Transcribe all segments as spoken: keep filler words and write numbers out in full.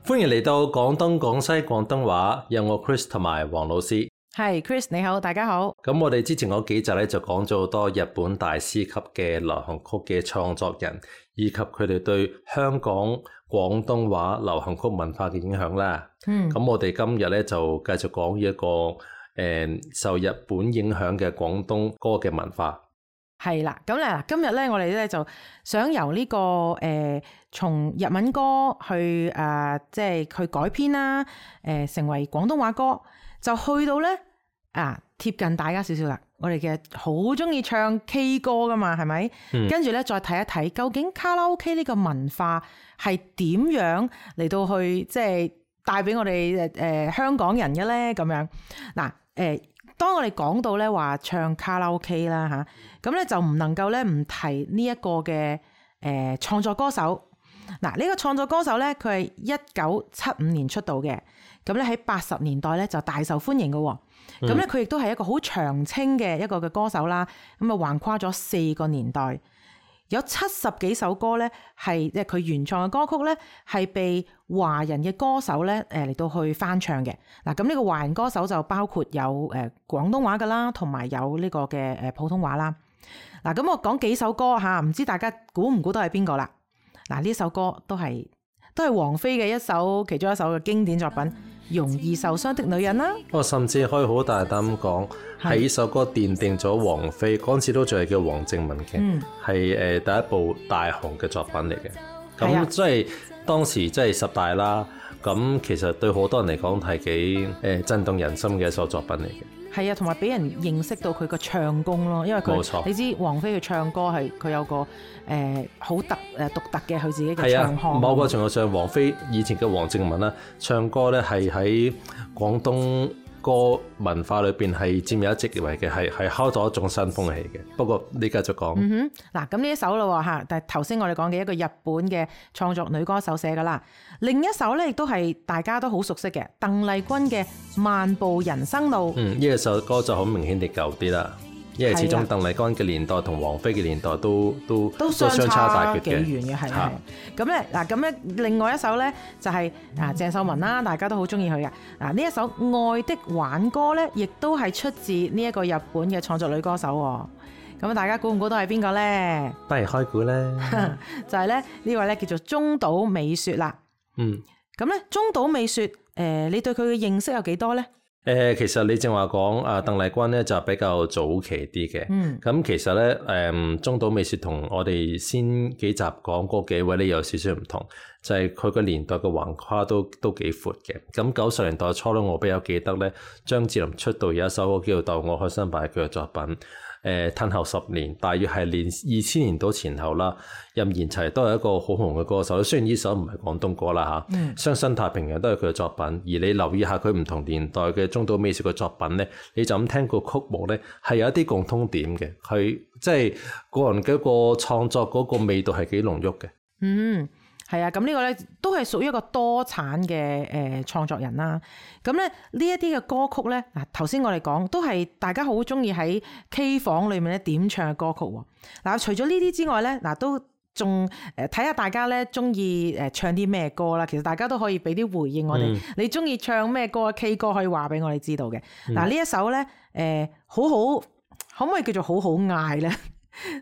歡迎嚟到廣東廣西廣東話，有我 Chris 同埋黃老師。係 Chris 你好，大家好。咁我哋之前嗰幾集咧就講咗好多日本大師級嘅流行曲嘅創作人，以及佢哋對香港廣東話流行曲文化嘅影響啦。嗯，咁我哋今日咧就繼續講一個誒、呃、受日本影響嘅廣東歌嘅文化。係啦，咁咧今日咧我哋咧就想由呢、這個誒從、呃、日文歌去誒、呃、即係去改編啦，誒、呃、成為廣東話歌，就去到咧啊貼近大家少少啦。我哋嘅好中意唱 K 歌噶嘛，係咪？嗯、跟住咧再睇一睇究竟卡拉 OK 呢個文化係點樣嚟到去即係帶俾我哋誒誒香港人嘅咧？咁樣嗱誒。呃當我哋講到咧話唱卡拉 OK 啦嚇，咁咧就唔能夠咧唔提呢一個嘅誒創作歌手。嗱，呢個創作歌手咧佢係一九七五年出道嘅，咁咧喺八十年代咧就大受歡迎嘅。咁咧佢亦都係一個好長青嘅一個嘅歌手啦。咁啊橫跨咗四個年代，有七十幾首歌咧係即係佢原創嘅歌曲咧係被華人嘅歌手咧誒嚟到去翻唱嘅。嗱，咁呢個華人歌手就包括有誒廣東話噶啦，同埋有呢個嘅誒普通話啦。嗱，咁我講幾首歌吓，唔知大家估唔估到係邊個啦？嗱，呢首歌都係都係王菲嘅一首其中一首嘅經典作品《容易受傷的女人》啦。我甚至可以好大膽咁講，係呢首歌奠定咗王菲嗰陣時都仲係叫黃靜雯嘅，係誒第一部大紅嘅作品嚟嘅。咁即係當時即係十大啦。咁其實對好多人嚟講係幾誒震動人心嘅一首作品嚟嘅。係啊，同埋俾人認識到佢個唱功咯，因為佢冇錯，你知王菲嘅唱歌係佢有個誒好、呃、特誒獨特嘅佢自己嘅唱腔。係啊，某個程度上，王菲以前嘅黃靜雯啦，唱歌咧係喺廣東歌文化裏邊係佔有一席位嘅，係係敲咗一種新風氣嘅。不過你繼續講。嗯哼，嗱咁呢一首咯嚇，但係頭先我哋講嘅一個日本嘅創作女歌手寫噶啦，另一首咧亦都係大家都好熟悉嘅鄧麗君嘅《漫步人生路》。嗯，呢一首歌就好明顯地舊啲啦，因為始終鄧麗君嘅年代同王菲嘅年代都都都相差大幾遠嘅，係係。咁咧嗱，咁咧另外一首咧就係啊鄭秀文啦，大家都好中意佢嘅。嗱呢一首《愛的挽歌》咧，亦都係出自呢一個日本嘅創作女歌手。咁大家估唔估到係邊個咧？不如開估咧，就係咧呢位咧叫做中島美雪啦。嗯，咁咧中島美雪，誒、呃，你對佢嘅認識有幾多咧？誒、呃，其實你正話講啊，鄧麗君咧就比較早期啲嘅。嗯，咁其實咧，誒、呃，中島美雪同我哋先幾集講嗰幾位咧有少少唔同，就係佢個年代嘅橫跨都都幾闊嘅。咁九十年代初咧，我比較記得咧，張智霖出道有一首歌叫做《逗我開心吧》佢嘅作品。誒，褪後十年，大約係年二千年到前後啦。任賢齊都係一個好紅嘅歌手，雖然呢首唔係廣東歌啦吓，嗯，雙生太平洋都係佢嘅作品。而你留意下佢唔同年代嘅中島美雪嘅作品咧，你就咁聽個曲目咧，係有一啲共通點嘅。佢即係個人嘅一個創作嗰個味道係幾濃郁嘅。嗯。係啊，咁呢個咧都係屬於一個多產嘅誒創作人啦。咁咧呢一啲嘅歌曲咧，嗱頭先我哋講都係大家好中意喺 K 房裏面咧點唱嘅歌曲喎。嗱除咗呢啲之外咧，嗱都仲誒睇下大家咧中意誒唱啲咩歌啦。其實大家都可以俾啲回應我哋，嗯、你中意唱咩歌 K 歌可以話俾我哋知道嘅。嗱呢、嗯、一首咧誒、呃、好好，可唔可以叫做好好嗌咧？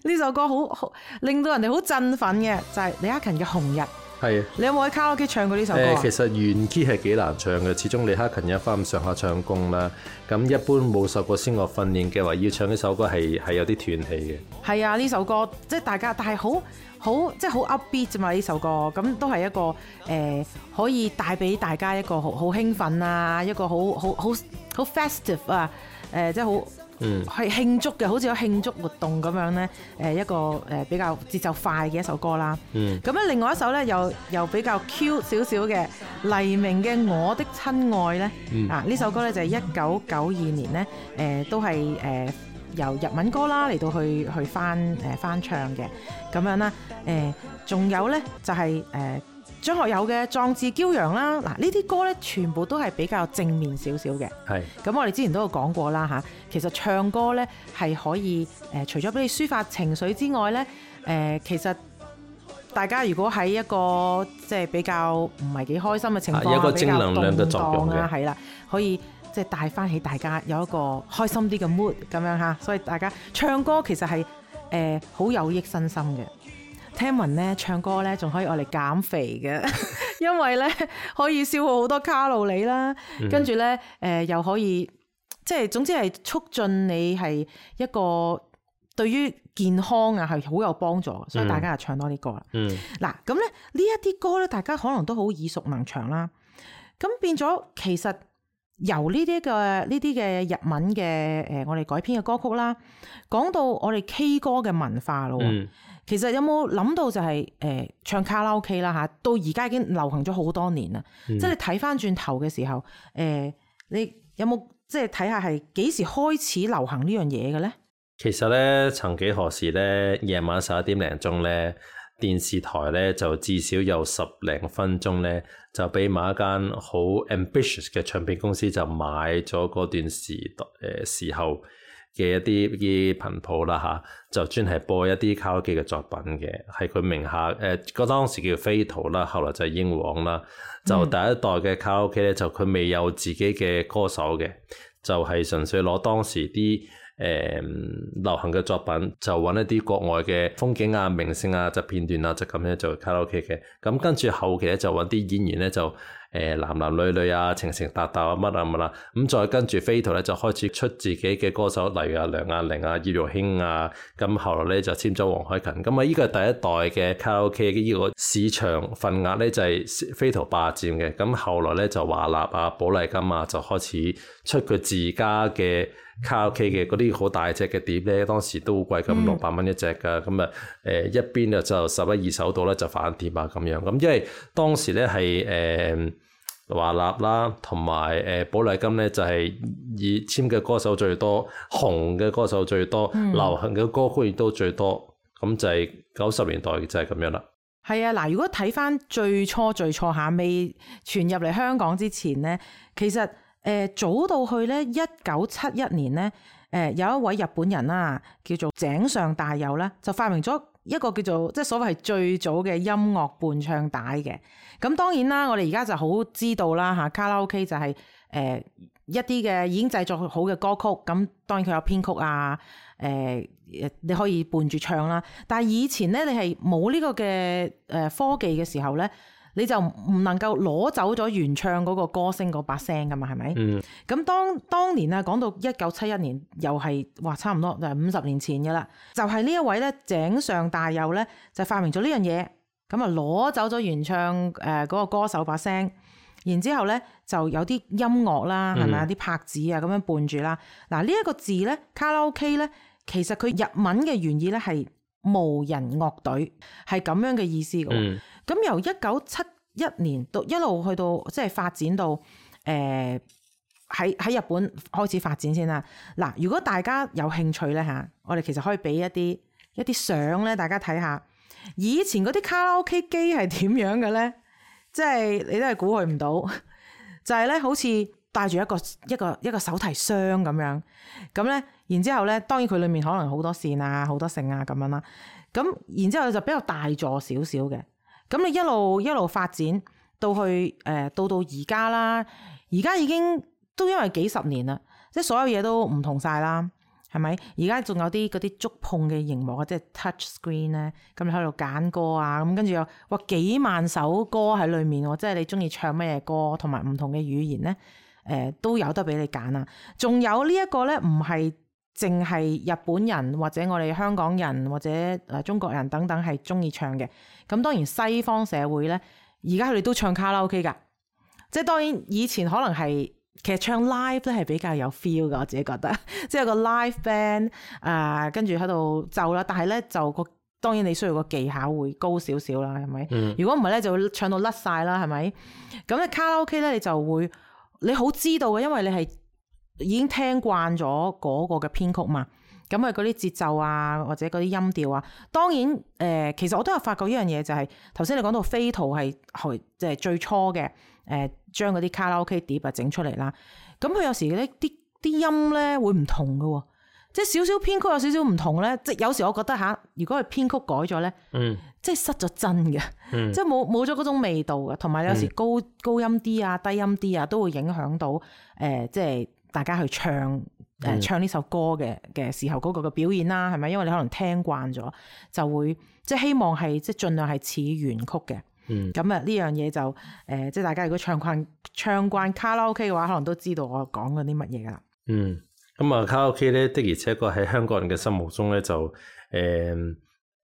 呢首歌好好令到人哋好振奮嘅，就係、是、李克勤嘅《紅日》。係啊，你有冇喺卡拉 OK 唱過呢首歌？誒，其實原 key 係幾難唱嘅，始終李克勤有翻咁上下唱功啦。咁一般冇受過聲樂訓練嘅話，要唱呢首歌係係有啲斷氣嘅。係啊，呢首歌即係大家，但係好好即係好 upbeat 啫嘛。呢首歌咁都係一個誒、呃，可以帶俾大家一個好好興奮啊，一個好好好好 festive 啊，誒、呃，即係好。嗯，係慶祝嘅，好似有慶祝活動咁樣咧。誒，一個誒比較節奏快嘅一首歌啦。嗯，咁咧另外一首咧又又比較 Q 少少嘅黎明嘅《我的親愛》咧。嗯、啊，呢首歌咧就係一九九二年咧，誒、呃、都係誒、呃、由日文歌啦嚟到去去翻誒、呃、翻唱嘅咁樣啦。誒、呃，仲有咧就係、是、誒。呃張學友嘅《壯志驕陽》啦，嗱呢啲歌咧全部都係比較正面少少嘅。係，咁我哋之前都有講過啦嚇，其實唱歌咧係可以誒、呃，除咗俾你抒發情緒之外咧，誒、呃、其實大家如果喺一個即係比較唔係幾開心嘅情況下，有一個正能量嘅作用嘅，係啦，可以即係帶翻起大家有一個開心啲嘅 mood 咁樣嚇。所以大家唱歌其實係誒好有益身心嘅。聽聞咧唱歌咧仲可以愛嚟減肥嘅，因為咧可以消耗好多卡路里啦，嗯、跟住咧誒又可以即係總之係促進你係一個對於健康啊係好有幫助，所以大家就唱多啲歌啦。嗯，嗱咁咧呢一啲歌咧，大家可能都好耳熟能詳啦。咁變咗其實由呢啲嘅呢啲嘅日文嘅誒我哋改編嘅歌曲啦，講到我哋 K 歌嘅文化咯。嗯，其實有冇諗到就係、是、誒、呃、唱卡拉 OK 啦嚇，到而家已經流行咗好多年啦。嗯、即係你睇翻轉頭嘅時候，誒、呃、你有冇即係睇下係幾時開始流行呢樣嘢嘅咧？其實咧，曾幾何時咧，夜晚十一點零鐘咧，電視台咧就至少有十零分鐘咧，就俾某一間好 ambitious 嘅唱片公司就買咗嗰段時代誒、呃、時候嘅一啲啲頻譜啦嚇，就專係播一啲卡拉 OK 嘅作品嘅，係佢名下誒嗰、呃、當時叫 Fatal 啦，後來就係英皇啦，就第一代嘅卡拉 OK 咧，就佢未有自己嘅歌手嘅，就係、是、純粹攞當時啲誒、嗯、流行嘅作品，就揾一啲國外嘅風景啊、明星啊、就片段啊，就咁樣做卡拉 OK 嘅。咁跟住後期咧就揾啲演員咧就誒、呃、男男女女啊、情情搭搭啊乜啊乜啦。咁再跟住Fatal咧就開始出自己嘅歌手，例如啊梁亞玲啊、葉玉卿啊。咁後來咧就簽咗黃凱芹。咁啊呢個係第一代嘅卡拉 OK 嘅呢個市場份額咧就係、是、Fatal 霸佔嘅。咁後來咧就華納啊、寶麗金啊就開始出佢自家嘅卡拉 OK 嘅嗰啲好大隻嘅碟咧，當時都好貴咁，六百蚊一隻噶。咁啊誒一邊啊就十一二手度咧就反碟啊咁樣。咁因為當時咧係誒華納啦，同埋誒寶麗金咧就係、是、以簽嘅歌手最多，紅嘅歌手最多，嗯、流行嘅歌曲亦都最多。咁就係九十年代就係咁樣啦。係啊，嗱，如果睇翻最初最初下未傳入嚟香港之前咧，其實。誒、呃、早到去咧，一九七一年咧，誒、呃、有一位日本人啦，叫做井上大佑咧，就發明咗一個叫做即係所謂係最早嘅音樂伴唱帶嘅。咁當然啦，我哋而家就好知道啦嚇，卡拉 OK 就係、是、誒、呃、一啲嘅已經製作好嘅歌曲，咁當然佢有編曲啊，誒、呃、你可以伴住唱啦。但係以前咧，你係冇呢個嘅誒科技嘅時候咧，你就唔能夠攞走咗原唱嗰個歌星嗰把聲噶嘛，係咪？嗯。咁當當年啊，講到一九七一年，又係話差唔多就係五十年前嘅啦。就係、是、呢一位咧，井上大佑咧，就發明咗呢樣嘢，咁啊攞走咗原唱誒嗰個歌手把聲，然之後咧就有啲音樂啦，係咪啊？啲拍子啊咁樣伴住啦。嗱呢一個字咧，卡拉 OK 咧，其實佢日文嘅原意咧係無人樂隊，係咁樣嘅意思嘅。嗯。咁由一九七一年到一路去到即係發展到誒喺喺日本開始發展先啦。嗱，如果大家有興趣咧嚇，我哋其實可以俾一啲一啲相咧，大家睇下以前嗰啲卡拉 OK 機係點樣嘅咧？即係你都係估佢唔到，就係咧好似帶住一個一個一個手提箱咁樣，咁咧然之後咧，當然佢裡面可能好多線啊、好多繩啊咁樣啦。咁然之後就比較大座少少嘅。咁你一路一路發展到去誒、呃、到到而家啦，而家已經都因為幾十年啦，即係所有嘢都唔同晒啦，係咪？而家仲有啲嗰啲觸碰嘅熒幕啊，即係 touch screen 咧，咁你喺度揀歌啊，咁跟住又哇幾萬首歌喺裡面喎，即係你中意唱咩歌，同埋唔同嘅語言咧，誒、呃、都有得俾你揀啊！仲有呢一個咧，唔係淨係日本人或者我哋香港人或者誒中國人等等係中意唱嘅。咁當然西方社會咧，而家佢哋都唱卡拉 OK 㗎。即係當然以前可能係其實唱 live 咧係比較有 feel 㗎，我自己覺得。即係個 live band 啊、呃，跟住喺度奏啦。但係咧就個當然你需要個技巧會高少少啦，係咪？嗯、如果唔係咧就會唱到甩晒啦，係咪？咁咧卡拉 OK 咧你就會你好知道嘅，因為你係已經聽慣咗嗰個嘅編曲嘛，咁啊嗰啲節奏啊或者嗰啲音調啊，當然誒、呃，其實我都有發覺一樣嘢就係頭先你講到Fatal係係即係最初嘅誒，將嗰啲卡拉 OK 碟啊整出嚟啦，咁佢有時咧啲啲音咧會唔同嘅喎，即係少少編曲有少少唔同咧，即係有時我覺得吓，如果係編曲改咗咧，嗯，即係失咗真嘅，嗯、即係冇冇咗嗰種味道嘅，同埋有時高、嗯、高音啲啊、低音啲啊，都會影響到誒、呃，即係大家去唱誒、呃、唱呢首歌嘅嘅時候嗰個嘅表演啦，係咪？因為你可能聽慣咗，就會即係希望係即係盡量係似原曲嘅。咁啊呢樣嘢就誒、呃，即係大家如果唱慣唱慣卡拉 OK 嘅話，可能都知道我講緊啲乜嘢噶啦。嗯，咁啊卡拉 OK 咧的而且確喺香港人嘅心目中咧就誒。呃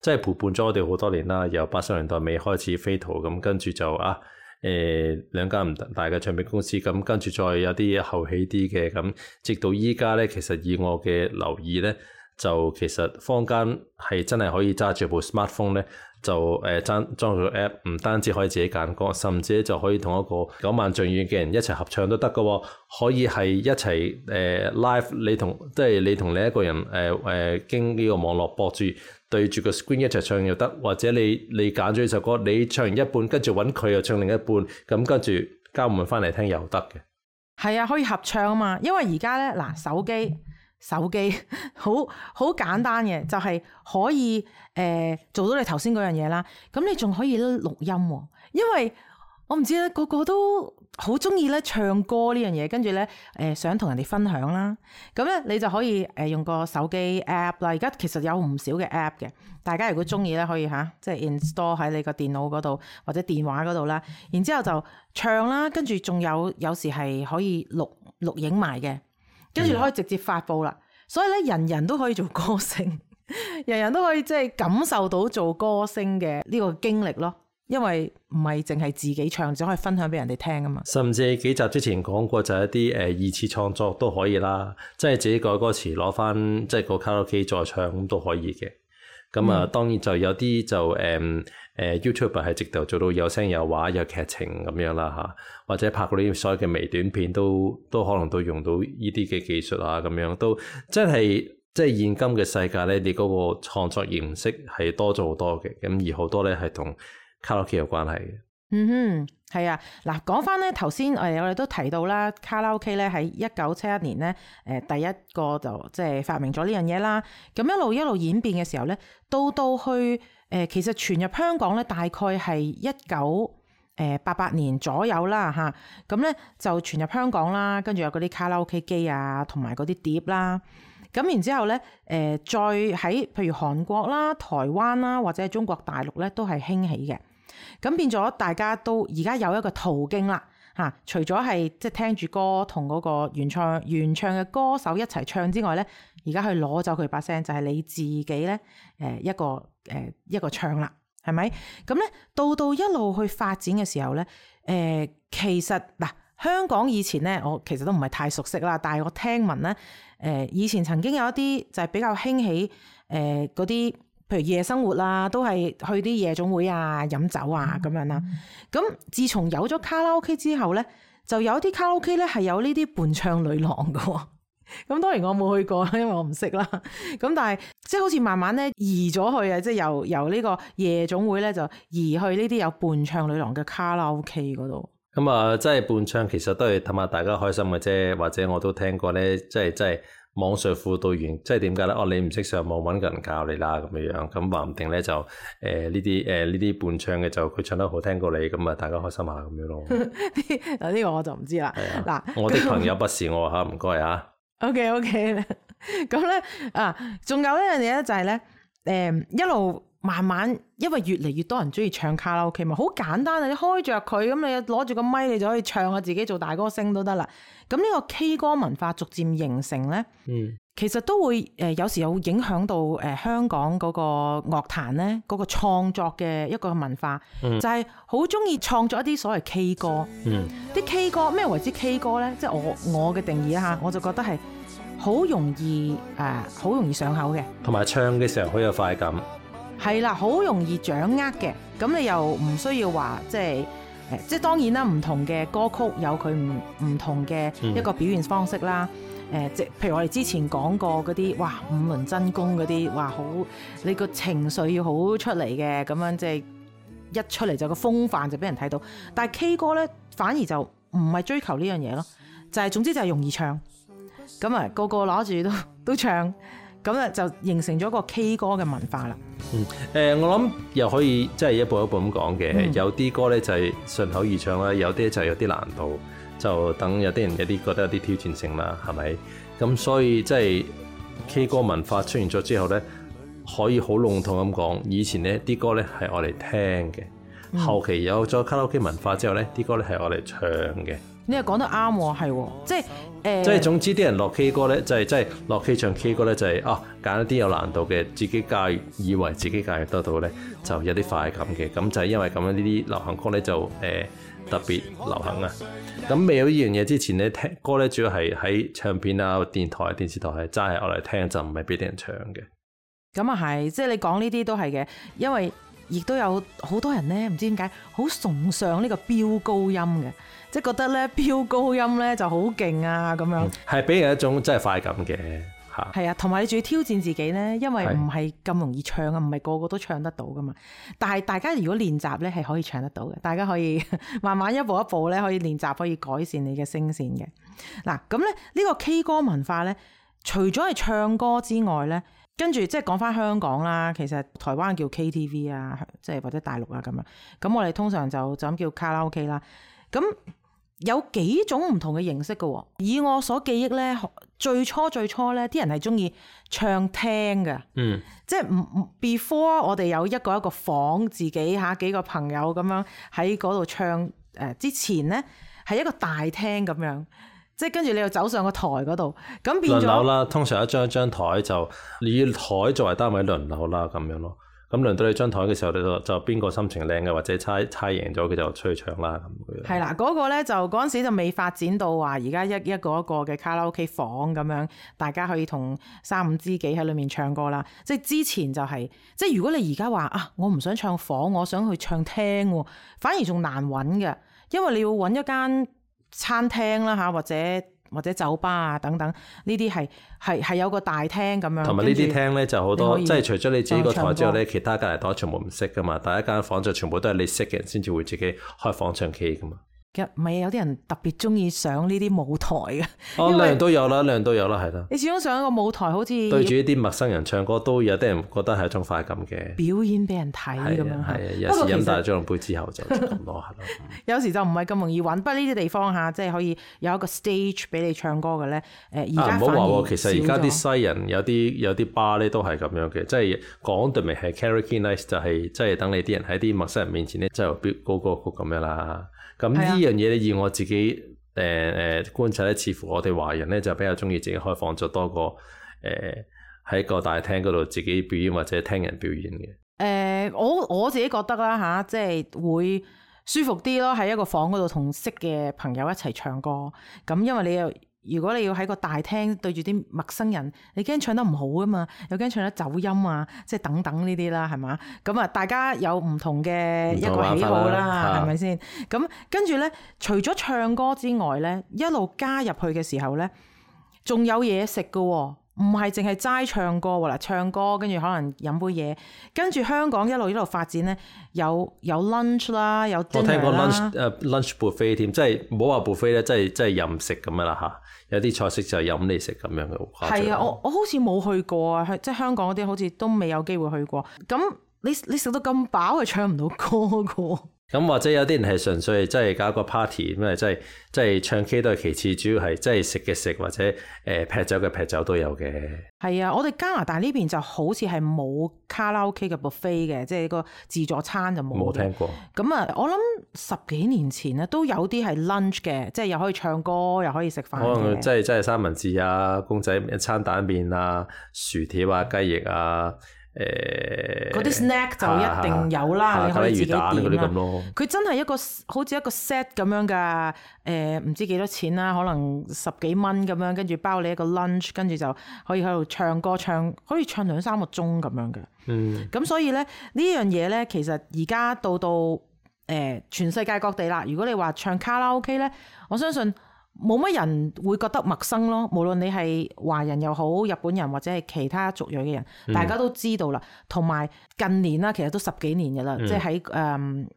即係陪伴咗我哋好多年啦，由八十年代尾開始飛圖咁，跟住就啊誒、呃、兩間唔大嘅唱片公司，咁跟住再有啲後起啲嘅，咁直到依家咧，其實以我嘅留意咧，就其實坊間係真係可以揸住部 smartphone 咧，就誒裝裝個 app， 唔單止可以自己揀歌，甚至就可以同一個九萬丈遠嘅人一齊合唱都得㗎喎，可以係一齊誒、呃、live， 你同即係你同另一個人誒誒、呃、經呢個網絡播住。對住個 screen 一齊唱又得，或者你你揀咗呢首歌，你唱完一半，跟住揾佢又唱另一半，咁跟住交換翻嚟聽又得嘅。係啊，可以合唱啊嘛。因為而家咧嗱，手機手機好好簡單嘅，就係、是、可以誒、呃、做到你頭先嗰樣嘢啦。咁你仲可以錄音喎、哦，因為我唔知咧，個個都好中意咧唱歌呢樣嘢，跟住咧誒想同人哋分享啦。咁咧你就可以誒用個手機 app 啦。而家其實有唔少嘅 app 嘅，大家如果中意咧可以吓，即係 install 喺你個電腦嗰度或者電話嗰度啦。然之後就唱啦，跟住仲有有時係可以錄錄影埋嘅，跟住可以直接發布啦。嗯、所以咧人人都可以做歌星，人人都可以即係感受到做歌星嘅呢個經歷咯。因為唔係淨係自己唱，只可以分享俾人哋聽啊嘛。甚至幾集之前講過就係一啲誒二次創作都可以啦，即係自己改歌詞攞翻即係個卡拉 OK 再唱咁都可以嘅。咁啊，嗯、當然就有啲就誒誒、嗯呃、YouTuber 係直頭做到有聲有畫有劇情咁樣啦嚇，或者拍嗰啲所有嘅微短片都都可能都用到呢啲嘅技術啊咁樣，都真係即係現今嘅世界咧，你嗰個創作形式係多咗好多嘅，咁而好多咧係同卡拉 OK 有關係嘅。嗯哼，係啊。嗱，講翻咧頭先，誒我哋都提到啦，卡拉 OK 咧喺一九七一年咧，誒、呃、第一個就即係發明咗呢樣嘢啦。咁一路一路演變嘅時候咧，到到去誒、呃、其實傳入香港咧，大概係一九誒八八年左右啦嚇。咁咧就傳入香港啦，跟住有嗰啲卡拉 OK 機啊，同埋嗰啲碟啦。咁然之後咧，誒、呃、再喺譬如韓國啦、台灣啦，或者係中國大陸咧，都係興起嘅。咁變咗大家都而家有一個途徑啦嚇，除咗係即係聽住歌同嗰個原唱原唱嘅歌手一齊唱之外咧，而家去攞走佢把聲就係、是、你自己咧誒一個誒、呃、一個唱啦，係咪？咁咧到到一路去發展嘅時候咧，誒、呃、其實嗱、呃、香港以前咧，我其實都唔係太熟悉啦，但係我聽聞咧，誒、呃、以前曾經有一啲就係比較興起誒嗰啲。譬如夜生活啊，都係去啲夜總會啊、飲酒啊咁樣啦。咁自從有咗卡拉 OK 之後咧，就有啲卡拉 OK 咧係有呢啲伴唱女郎噶。咁當然我冇去過，因為我唔識啦。咁但係即係好似慢慢咧移咗去啊，即係由由呢個夜總會咧就移去呢啲有伴唱女郎嘅卡拉 OK 嗰度。咁啊，即係伴唱其實都係氹下大家開心嘅啫，或者我都聽過咧，即係即係。網上輔導員即係點解咧？哦，你唔識上網揾個人教你啦，咁樣樣咁話唔定咧就誒呢啲誒呢啲伴唱嘅就佢唱得好聽過你，咁啊大家開心下咁樣咯。嗱呢個我就唔知啦。嗱、啊，我的朋友不是我嚇，唔該啊。OK OK，咁咧啊，仲有一樣嘢咧就係咧誒一路慢慢，因為越嚟越多人中意唱卡拉 OK 嘛，好簡單啊！你開着佢咁，你攞住個咪，你就可以唱下自己做大歌星都得啦。咁呢個 K 歌文化逐漸形成咧，嗯，其實都會誒、呃、有時有影響到誒、呃、香港嗰個樂壇咧嗰個創作嘅一個文化，嗯、就係好中意創作一啲所謂 K 歌。嗯，啲 K 歌咩為之 K 歌咧？即係我我嘅定義啊，我就覺得係好容易誒，好、呃、容易上口嘅，同埋唱嘅時候好有快感。係啦，好容易掌握嘅，咁你又唔需要話即係誒，即係當然啦，唔同嘅歌曲有佢唔唔同嘅一個表現方式啦。誒、嗯，即、呃、譬如我哋之前講過嗰啲，哇，五輪真功嗰啲，哇，好你個情緒要好出嚟嘅，咁樣即係一出嚟就個風範就俾人睇到。但係 K 歌咧，反而就唔係追求呢樣嘢咯，就係、是、總之就係容易唱，咁啊個個攞住都都唱。咁啊就形成咗個 K 歌嘅文化啦。嗯，誒、呃，我諗又可以即係一步一步咁講嘅，嗯、有啲歌咧就係順口易唱啦，有啲就有啲難度，就等有啲人有啲覺得有啲挑戰性啦，係咪？咁所以即係 K 歌文化出現咗之後咧，可以好籠統咁講，以前呢啲歌咧係我哋聽嘅，嗯、後期有咗卡拉 OK 文化之後咧，啲歌咧係我哋唱嘅。你又講得啱喎，係即係誒，呃、即係總之啲人落 K 歌咧，就係即係落 K 唱 K 歌咧，就係、是、啊揀一啲有難度嘅，自己駕馭以為自己駕馭得到咧，就有啲快感嘅。咁就係因為咁樣呢啲流行歌咧就誒、呃、特別流行啊。咁未有呢樣嘢之前咧，聽歌咧主要係喺唱片啊、電台、電視台係齋係我嚟聽，就唔係俾啲人唱嘅。咁啊係，即係你講呢啲都係嘅，因為亦都有好多人咧，唔知點解好崇尚呢個飆高音嘅。即係覺得咧飆高音咧就好勁啊咁樣，係俾、嗯、人一種真係快感嘅嚇。係啊，同埋你仲要挑戰自己咧，因為唔係咁容易唱啊，唔係個個都唱得到噶嘛。但係大家如果練習咧係可以唱得到嘅，大家可以慢慢一步一步咧可以練習，可以改善你嘅聲線嘅。嗱咁咧呢個 K 歌文化咧，除咗係唱歌之外咧，跟住即係講翻香港啦，其實台灣叫 K T V 啊，即係或者大陸啊咁樣。咁我哋通常就就咁叫卡拉 OK 啦。咁有幾種唔同嘅形式嘅，以我所記憶咧，最初最初咧，啲人係中意唱聽嘅，嗯，即係唔唔 before 我哋有一個一個房自己嚇幾個朋友咁樣喺嗰度唱誒、呃、之前咧，係一個大廳咁樣，即係跟住你又走上個台嗰度，咁變咗輪流啦，通常一張一張台就你以台作為單位輪流啦，咁樣咯。咁輪到你張台嘅時候，你就就邊個心情靚嘅，或者猜猜贏咗，佢就出去唱啦咁。係啦，嗰、那個咧就嗰陣時就未發展到話而家一一個一個嘅卡拉 OK 房咁樣，大家可以同三五知己喺裏面唱歌啦。即係之前就係、是，即係如果你而家話啊，我唔想唱房，我想去唱廳，反而仲難揾嘅，因為你要揾一間餐廳啦嚇，或者。或者酒吧啊等等，呢啲係係係有個大廳咁樣。同埋呢啲廳咧就好多，即係除咗你自己個台之後咧，其他隔離台全部唔識噶嘛。第一間房就全部都係你識嘅人先至會自己開房唱 K 噶嘛。唔係有啲人特別中意上呢啲舞台嘅。哦，兩樣都有啦，兩樣都有啦，係啦。你始終上一個舞台，好似對住一啲陌生人唱歌，都有啲人覺得係一種快感嘅。表演俾人睇咁樣。係啊，有時飲大咗杯之後就咁咯，係咯。有時就唔係咁容易揾，不過呢啲地方嚇，即係可以有一個 stage 俾你唱歌嘅咧。誒，而家唔好話喎，其實而家啲西人有啲有啲 bar 咧都係咁樣嘅，即係講對名係 karaoke night，就係即係等你啲人喺啲陌生人面前咧，即係飆高歌曲咁樣啦。咁呢樣嘢咧，以我自己誒誒、呃、觀察咧，似乎我哋華人咧就比較中意自己開房，就多過誒喺個大廳嗰度自己表演或者聽人表演嘅。誒、呃，我我自己覺得啦嚇，即係會舒服啲咯，喺一個房嗰度同識嘅朋友一齊唱歌。咁因為你又如果你要喺個大廳對住啲陌生人，你驚唱得唔好啊嘛，又驚唱得走音啊，即係等等呢啲啦，係嘛？咁啊，大家有唔同嘅一個喜好啦，係咪先？咁跟住咧，除咗唱歌之外咧，一路加入去嘅時候咧，仲有嘢食㗎喎。唔係淨係齋唱歌喎，嗱，唱歌跟住可能飲杯嘢，跟住香港一路一路發展咧，有有 lunch 啦，有 dinner 啦。我聽過 lunch 誒、uh, lunch buffet 添，即係唔好話 buffet 咧，即係即係任食咁樣啦嚇。有啲菜式就係飲你食咁樣嘅。係啊，我我好似冇去過啊，即係香港嗰啲好似都未有機會去過。咁你你食到咁飽係唱唔到歌噶。咁或者有啲人係純粹係真係搞個 party，咁啊真係真係唱 K 都係其次，主要係真係食嘅食或者誒、呃、劈酒嘅劈酒都有嘅。係啊，我哋加拿大呢邊就好似係冇卡拉 OK 嘅 buffet 嘅，即係個自助餐就冇。冇聽過。咁啊，我諗十幾年前咧都有啲係 lunch 嘅，即係又可以唱歌又可以食飯。可能即係即係三文治啊、公仔一餐蛋麵啊、薯條啊、雞翼啊。誒嗰啲 snack 就一定有啦，啊、你可以自己點啦。佢真係一個好似一個 set 咁樣噶，誒、呃、唔知幾多錢啦，可能十幾蚊咁樣，跟住包你一個 lunch，跟住就可以喺度唱歌唱，可以唱兩三個鐘咁樣嘅。嗯，咁所以咧呢樣嘢咧，其實而家到到誒、呃、全世界各地啦。如果你話唱卡拉 OK 咧，我相信。冇乜人會覺得陌生咯，無論你係華人又好，日本人或者係其他族裔嘅人，嗯、大家都知道啦。同埋近年啦，其實都十幾年嘅啦，嗯、即係喺誒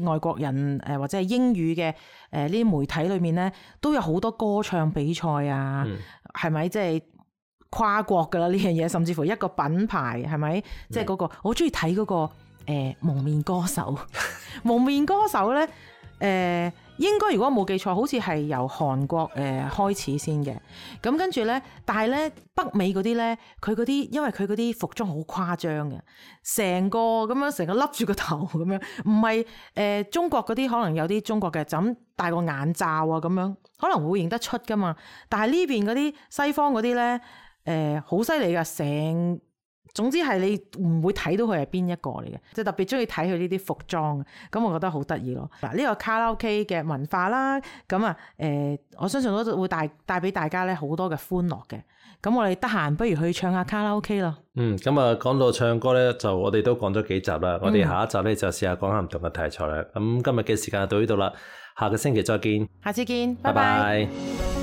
喺外國人誒、呃、或者係英語嘅誒呢啲媒體裏面咧，都有好多歌唱比賽啊，係咪、嗯？即係跨國噶啦呢樣嘢，甚至乎一個品牌係咪？即係嗰個我好中意睇嗰個誒、呃、蒙面歌手，蒙面歌手咧誒。呃應該如果冇記錯，好似係由韓國誒、呃、開始先嘅。咁跟住咧，但係咧北美嗰啲咧，佢嗰啲因為佢嗰啲服裝好誇張嘅，成個咁樣成個笠住個頭咁樣，唔係誒中國嗰啲可能有啲中國嘅就咁戴個眼罩啊咁樣，可能會認得出噶嘛。但係呢邊嗰啲西方嗰啲咧誒好犀利噶，成總之係你唔會睇到佢係邊一個嚟嘅，即係特別中意睇佢呢啲服裝，咁我覺得好得意咯。嗱，呢個卡拉 OK 嘅文化啦，咁啊誒，我相信都會帶帶俾大家咧好多嘅歡樂嘅。咁我哋得閒不如去唱下卡拉 OK 咯。嗯，咁啊講到唱歌咧，就我哋都講咗幾集啦。我哋下一集咧就試下講下唔同嘅題材啦。咁今日嘅時間就到呢度啦，下個星期再見。下次見，拜拜拜。拜。